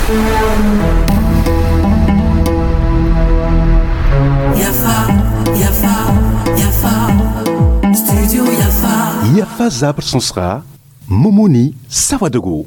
Yafa, Yafa, Yafa, Studio Yafa. Yafa zabr sõsga Momoni Sawadogo.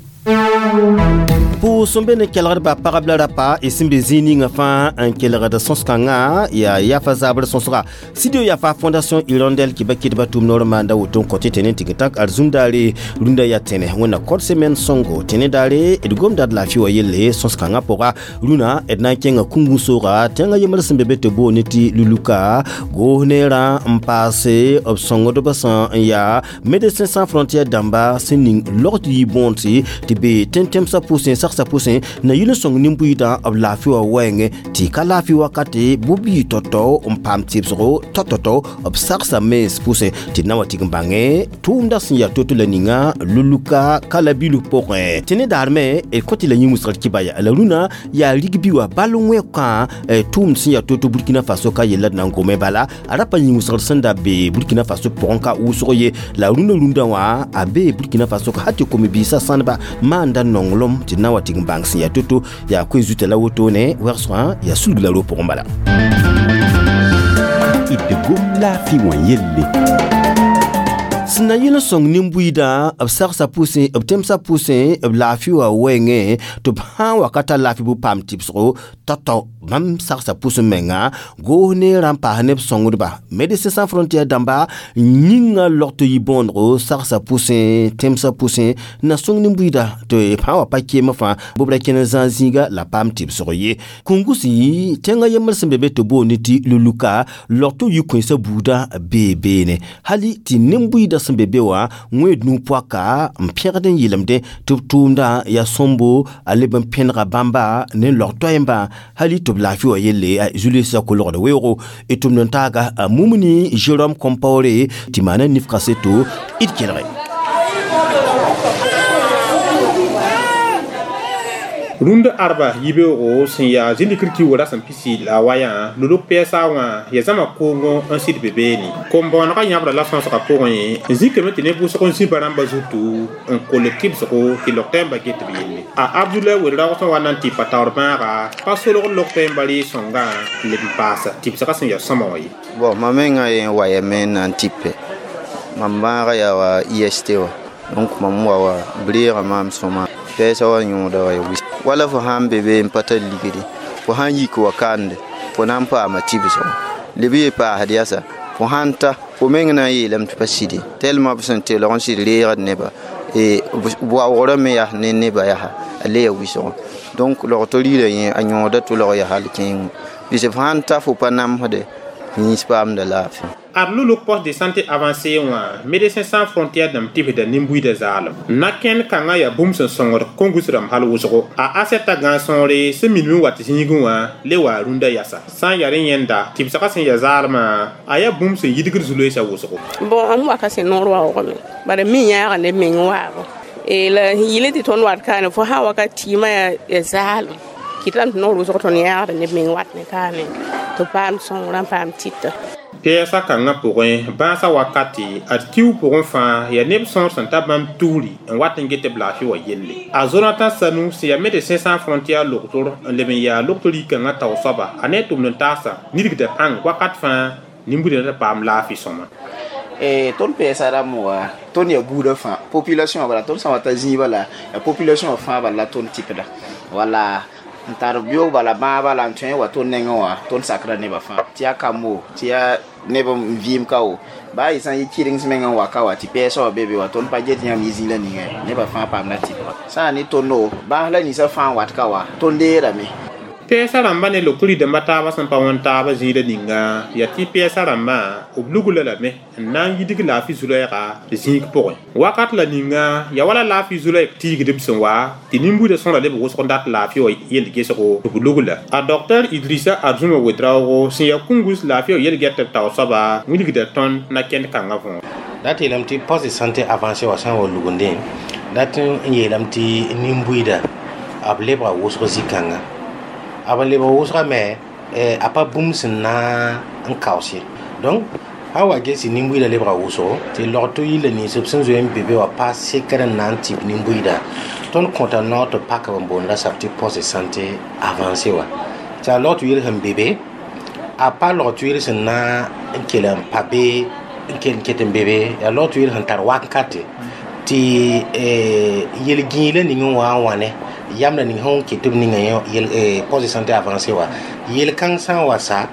Pʋʋs n be ne kelgdbã pagb la rapa y sẽn be zĩig ninga fãa n kelgd sõs-kãngã yaa yafa zabr sõsga Studio Yafa Fondation Hirondelle kɩ ba kɩdba tʋm noor n maanda woto n kõ tɩ tẽne n tig n tak arzũm-daare rũndã yaa tẽne wẽnna kɔd semaine sõngo tẽne daare d gomda d laafɩ wã yelle sõs-kãngã pʋga rũnã d na n kẽnga kũngu-sooga tẽngã yembr sẽn be be tɩ boone tɩ Luluka goos neerã n paase b sõngdbã sã n yaa Médecins Sans Frontières dãmba sẽn ning logd yɩ bõond tɩ be tẽn-tẽmsã pʋsẽ sagsã pʋsẽ na yɩl n sõng nin-buiidã b laafɩ wã wɛɛngẽ tɩ ka laafɩ wakate bʋ bii tao-tao n paam tɩbsgo tao-tao-tao b sagsa mens pʋsẽ tɩ d na wa tɩg n bãngẽ tʋʋmdã sẽn yaa to-to la ninga Luluka kalabilu pʋgẽ tɩ ne daar me d kõ tɩ la yĩn-wʋsgr kɩba ya la rũnã yaa rigbi wã bal wẽkã tʋʋmd sẽn yaa to-to Burkina Faso ka yella d na n gome bala a ra pa yĩn-wʋsgr sẽn da be Burkina Faso pʋgẽ ka wʋsg ye la rũnã rũndã wã a bee Burkina Faso ka hal tɩ kom-biisã sãneba maanda nonglem tɩ d na wa tɩg n bãng sẽn yaa to-to yaa koe zuta la wotone wɛgsgã yaa sulg la ro pʋgẽ bala. D gom laafɩ wã yelle. Sẽn na yɩl n sõng nin-buiidã b sagsã pʋsẽ b tẽmsã pʋsẽ b laafɩ wã wɛɛngẽ tɩ b sã n wa ka tar laafɩ bʋ paam tɩbsgo tao-tao bãmb sagsã pʋsẽ menga goos neerã n paas ne b sõngdba Médecins Sans Frontières dãmba yĩngã logto yɩ bõonego sagsã pʋsẽ tẽmsã pʋsẽ na sõng nin-buiidã tɩ b sã n wa pa keemã fãa bʋ b ra kẽn n zãag zĩiga la paam tɩbsg ye kũngusi tẽngã yembr sẽn be be tɩ boond tɩ Luluka logto yɩ kõensã buudã bee beene hali tɩ nin-buiidã sẽn be be wã wẽed nu-poaka n pẽgd n yɩlemdẽ tɩ b tʋʋmdã yaa sõmbo a leb n pẽnega bãmba ne log toɛɛmbã hali tɩ b laafɩ wã yelle Julius kolgd weoogo d tʋmd n taaga a Mumuni Jérôme Compaoré tɩ maana nif kaseto d kelge. Rũnd arba yibeoogo sẽn yaa zĩndikr kiuugã rasem pisi la a wayã luluk pɛɛsa wã yaa zãma koongõ n sɩd be beene kom-bõonegã yãbra la sõsgã pʋgẽ n zĩkame tɩ ne vʋsg n zĩ ba rãmbã zutu n koll tɩbsgo tɩ log-tɛɛmbã get b yelle a Abdoulaye Ouédraogo sẽn wa na n tɩ pa taoor bãaga pa solg log-tɛɛmbã ree-sõngã n leb n paasa tɩbsgã sẽn yaa sõma wã ye. Bon, mam mengã yen wayame n na n tɩpe mam bãaga yaa wa IST wã donc mam wa wa b reega maam sõma pɛɛsã wa yõoda wa ya wis wala fo sãn be be n pa tar ligdi fo sãn yik wa kande fo na n paama tɩbsgo leb ye paasd yasa fo sãn ta fo meng na n yeelame tɩ pa sɩde tellement b sẽn telg n sɩd reegd neba waoogrã me yaa ne neba yaa a le ya wɩsgo donc logto riira yẽ a yõoda tʋlg yaa hal kẽengo bɩs f sãn ta fo pa namsde yĩns paamda laafɩ. Ad luluk poste de santé avancé wã Médecins Sans Frontières dãmb tɩbsda nin-buiidã zaalem na kẽnd kãngã yaa bũmb sẽn sõngd kongus rãmb hal wʋsgo a asɛta gãag-sõore sẽn minime n wat zĩigẽ wã le waa rũndã yasa sã n yaa rẽ yẽnda tɩbsgã sẽn yaa zaalmã a yaa bũmb sẽn yidgd zu-loeesã wʋsgo. Bon, m waka sẽn noor waoogame bara mi yãaga neb meng waabo la yɩl tɩ tõnd wat kaane fo sã wakat tɩɩmã yaa zaalem kɩtame tɩ noor wʋsg tõnd yãagda neb meng wat ne kaane tɩ paam sõngrã n paam tɩta. Pɛɛsã kãngã pʋgẽ bãasã wakate ad kiu pʋgẽ fãa yaa neb sõor sẽn ta bãmb tugri n wat n get b laafɩ wã yelle a Jonathan Sanu sẽn yaa Médecins Sans Frontières logtor n leb n yaa logtor yikãngã tao soaba a ne tʋmd n taasa nidgda pãng wakat fãa nin-buidã tɩ paam laafɩ sõma. Tõnd pɛɛsa rãmb wa tõnd yaa buudã fãa population bala tõnd sã n wa ta zĩig bala yaa population fãa bala la tõnd tɩpda wala n tar beoog bala bãag bala n tõe n wa tõnd nengẽ wã tõnd sakra nebã fãa tɩ yaa kambo tɩ yaa neb n vɩɩm ka wo baa y sã n yɩ kɩreng meng n wa ka wa tɩ pɛɛsã wã be be wa tõnd pa get yãmb yɩ zĩig la ninga nebã fãa paamda tɩpga sã n ne tõndo bãas la ninsã fãa n wat ka wa tõnd deerame. Pɛɛsã rãmbã ne logtr dãmbã taabã sẽn pa wõn taabã zĩigrã ninga yaa tɩ pɛɛsã rãmbã b lugla lame n na n yidg laafɩ zu-loɛɛga zĩig pʋgẽ wakat la ninga yaa wala laafɩ zu-loɛɛg tiigdb sẽn wa tɩ nin-buidã sõra leb wʋsg n dat laafɩ wã yell gesgo tɩ b lugla a docteur Idrissa Arzuma Ouédraogo sẽn yaa kũngus laafɩ wã yel-gɛtb tao soaba wilgda tõnd na kẽnd kãngã võor. Dat yeelame tɩ poste de santé avancé wã sã n wa lugundẽ dat n yeelame tɩ nin-buiidã b lebga wʋsg zĩ-kãnga a b lebg wʋsga me a pa bũmb sẽn na n kaoos ye donc A wa gesi nin-buiidã lebga wʋsgo tɩ log-to yilla nins b sẽn zoe n be be wã pa sekr n na n tɩp nin-buiidã. Tõnd kõta noor tɩ pak b n boonda sab tɩ poste de santé avancé wã. Tɩ a log-tʋ-yɩl sẽn be be, a pa log-tʋ-yɩl sẽn na n kell n pa be n kell n ket n be be, yaa log-tʋ-yɩl sẽn tar wakate tɩ yel-gĩilã ning n wa n wãne yamda ning sẽn ket b ninga yel poste de santé avancé wã. Yel-kãng sã n wa sa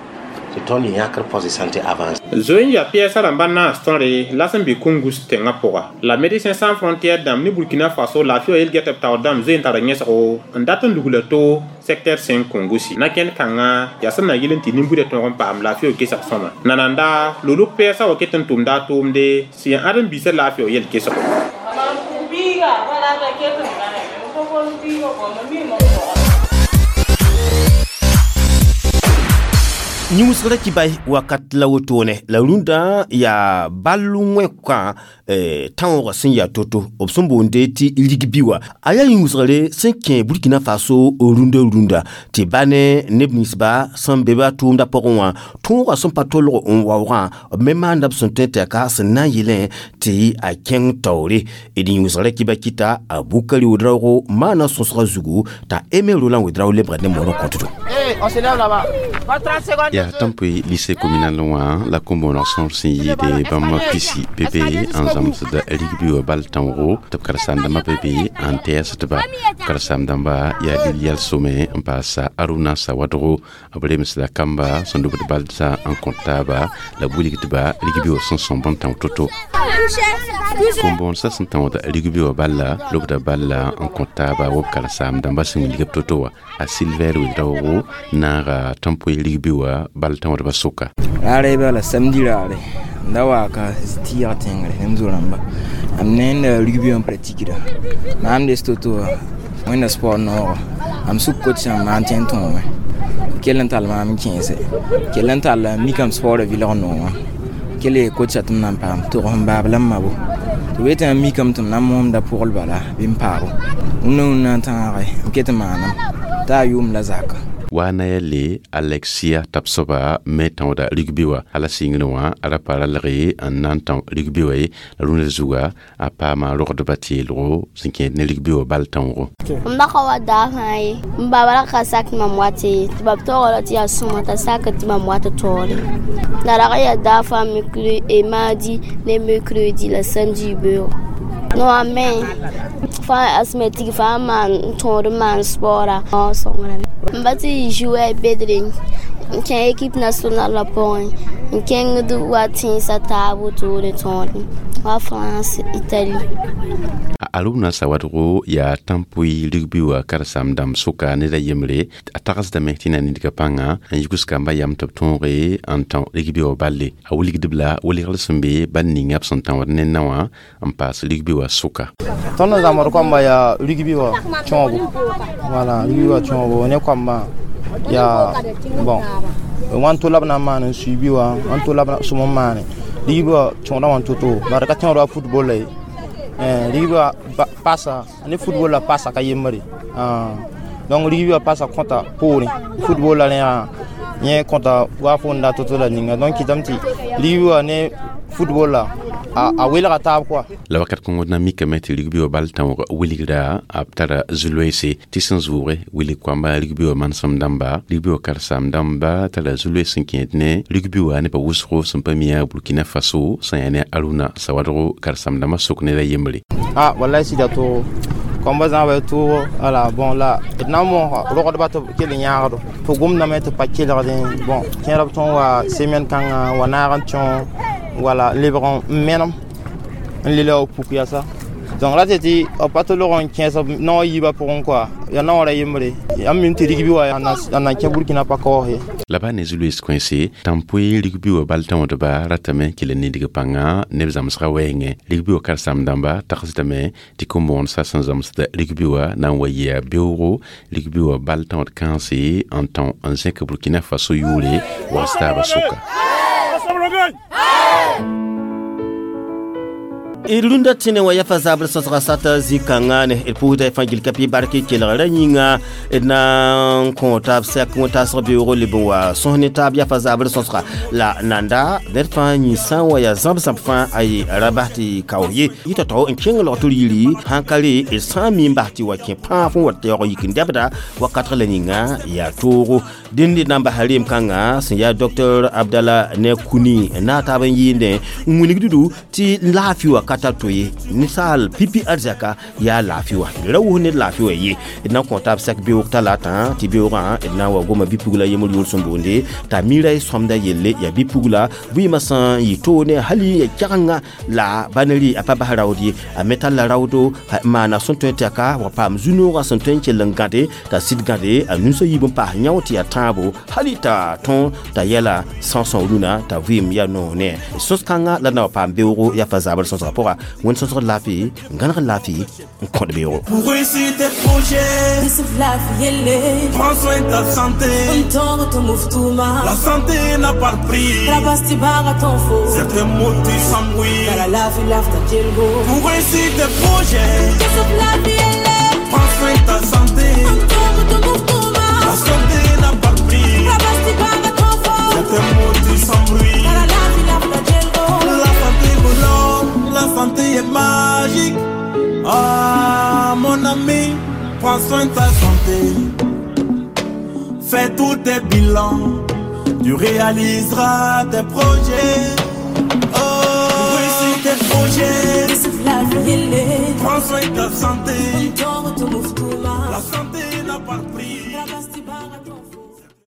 tɩ tõnd yãkr poste de santé avancé. Zoe n yaa pɛɛsã rãmba naas tõre la sẽn be Kungus tẽngã pʋga. La Médecins Sans Frontières dãmb ne Burkina Faso laafɩ wã yel-gɛtb taoor dãmb zoe n tara yẽsgo n dat n lugla to secteur 5 Kungusi. Na-kẽnd kãngã yaa sẽn na yɩl n tɩ nin-buidã tõog n paam laafɩ wã gesg sõma. Nananda lolg pɛɛsã wa ket n tʋmda a tʋʋmde sẽn yaa ãdem-biisã laafɩ wã yel-kesgo. Yĩmsgrã kɩ-bay wakat la wotone la rũndã yaa ball wẽkã tãoogã sẽn yaa to-to b sẽn boonde tɩ rigbi wã. A yaa yĩnsgre sẽn kẽ Burkina Faso rũndã rũndã tɩ ba ne neb ninsba sẽn be ba tʋʋmdã pʋgẽ wã tõogã sẽn pa tolg n waoogã b me maanda b sẽn tõe tɩ yaa ka sẽn na n yɩlẽ tɩ a kẽng taoore. D yĩnsgrã kɩba kɩta a Bukari Ouedraogo maana sõsgã zugu t'a Aimé Roland Ouedraogo lebga ne moorã kõtdo. Yaa tãmpoe lycée communal wã la kom-bõoneg sõor sẽn yɩɩde bãmb pisi be be n zãmsd rigbi wã bal tãoogo tɩ b karen-saam-dãmbã be be n tɛɛsdba. Karen-saam-dãmba yaa Lilial Somɛ n paasa Aruna Sawadgo b remsda kamba sẽn lubd balsã n kõt taaba la b wilgdba rigbi wã sẽn sõmb n tão to-to. Kom-bõonesã sẽn tãood rigbi wã balla lubda balla n kõt taaba wa b karen-saam-dãmbã sẽn wilg b to-to wã. A Silvɛr Ouedraogo naaga tãmpoe rigbi wã bal tãoodbã sʋka. Raare bala samedi raare n da waa ka tɩɩg tẽngre ne m zo-rãmba am ne n rugby wã pratikda maam des to-to wã wẽnda sport noogo am suk coach sãmb maan tẽ n tõome kell n tall maam n kẽese kell n tall n mikame sport vɩlg noogã kell ye coacha tɩ m na n paam tog sẽn baab la m mabo tɩ b yetɩ m mikame tɩ m na n moomda pʋgl bala bɩ n paabo wũnna wũnna n tãage m ket n maanam t'a a yʋʋm la zaka. Wa na ya le Alexia Tapsoba me tãoda rugby wã ala sɩngr wã a ra pa ralge n na n tão rugby wã ye la rũndã zuga a paama rogdbã teelgo sẽn kẽed ne rugby wã bal tãoogo. M ba ka wa daa fãa ye m baaba ra ka sak mam wat ye tɩ b taoora tɩ yaa sõma t'a sak tɩ mam wat taoore. La rag yaa daa fãa mercredi mardi ne mercredi la samedi beoogo. No a me fãa asthmatique fãa maan tõod n maan sport a sõngrame. M ba tɩ jouer bedre n kẽ équipe nationale la pʋgẽ n kẽngd wa tẽnsã taab wotone tõod wa France, Italie. Aruna Sawadgo yaa tãmpoe rugby wã karen-saam-dãmb sʋka ned a yembre a tagsdame tɩ na nidgã pãnga n yigs kambã yam tɩ b tõoge n tão rugby wã balle. A wilgdb la wilgr sẽn be bal ninga b sẽn tãood ne nao wã n paas rugby wã sʋka. Tõnd n zãmsd koamba yaa rugby wã tõogo, wala rugby wã tõogo ne koambã yaa bon wãn to la b na n maan n suibi wã wãn to la b sʋm n maane rugby wã tõoda wã to-to bara ka tẽood wa football la ye. Rugby wã pasa ne football la pasa ka yembre. Donc rugby wã pasa kõta poorẽ football la rẽ yẽ kõta wa fo n da to-to la ninga donc kɩtame tɩ rugby wã ne football la a welga taab quoi. La wakat kõngd na mikame tɩ rugby wã bal tãoog wilgra b tara zu-loeese tɩ sẽn zʋʋge wilg koamba rugby wã manesem dãmba rugby wã karen-saam dãmba tara zu-loees sẽn kẽed ne rugby wã nebã wʋsgo sẽn pa mi yaa Burkina Faso sẽn yaa ne Aruna Sawadgo karen-saam dãmbã sʋk ned a yembre. Ah wallahi sɩda toogo koamba zãaba toogo ala bon la d na n moosga rogdba tɩ kell n yãagdo tɩ gomdame tɩ pa kelgdẽ bon kẽerb tõnd wa semaine kãngã wa naag n tõ wala lebg n menem n le la puk yasa donc ra tɩ b pa tɩ log n kẽes nao yiibã pʋgẽ quoi yaa naoã ra yembre yaa m mim tɩ rigbi wã a na n kẽ Burkina pa kaoos ye. La ba ne zu-loees kõese tãmpoe rigbi wã bal tãoodba ratame kell n nidg pãnga neb zãmsgã wɛɛngẽ rigbi wã karen-saam-dãmba tagsdame tɩ kom-bõonesã sẽn zãmsd rigbi wã na n wa yɩa beoogo rigbi wã bal tãood kãense n tão n zẽk Burkina Faso yʋʋre wags taabã sʋka. D rũndã tẽne wã yafa zabr sõsga sata zĩ-kãngã ne d pʋʋsda y fãa gil ka pɩ bark kelgra yĩnga. D na n kõ taab sɛk wẽn-taasg beoogo leb n wa sõs ne taab yafa zabr sõsga la nanda. Ned fãa yĩ sã n wa yaa zãb-zãb fãa ay ra bas tɩ kao ye yɩ tao-tao n kẽng log tɩ d yiri sãn ka re d sã n mi n bas tɩ wa kẽ pãag fõn wa taoog yik n dɛbda wakatg la ninga yaa toogo. Dẽnd d na n basa reem kãnga sẽn yaa Dr Abdala ne Kuni na taab n yɩɩndẽ n wilg dudu tɩ laafɩ wã ka tar to ye. Ninsaal pipi arzaka yaa laafɩ wã, d ra wʋs ned laafɩ wã ye. D na n kõ taab sɛk beoog talata tɩ beoogã d na n wa goma bi-pugla yembr yʋʋr sẽn boonde t'a mira y sõmda yelle. Yaa bi-pugla vɩɩmã sẽn yɩ toone hali ya kɛgenga la ba ne rɩ a pa bas raood ye, a me talla raoodo n maana sẽn tõe tɩ ka wa paam zu-noogã sẽn tõe n kell n gãde t'a sɩd gãde a nusã yiib n paas yão tɩ yaa tãabo hali t'a tõe t'a yɛla são-são rũnã t'a vɩɩm yaa noog ne sõs-kãngã la na wa paam beoogo yafa zabr sõsgã pʋga. Wẽnd sõsg laafɩ n gãneg laafɩ n kõd beoogo. Pour réussir tes projets, prends soin de ta santé. La santé n'a pas de prix. Certains mots tu s'embrouillent. Pour réussir tes projets, prends soin de ta santé. La santé n'a pas de prix. Certains mots tu s'embrouillent. La santé pour l'homme, la santé est magique. Ah, mon ami, prends soin de ta santé. Fais tous tes bilans, tu réaliseras tes projets. Oh.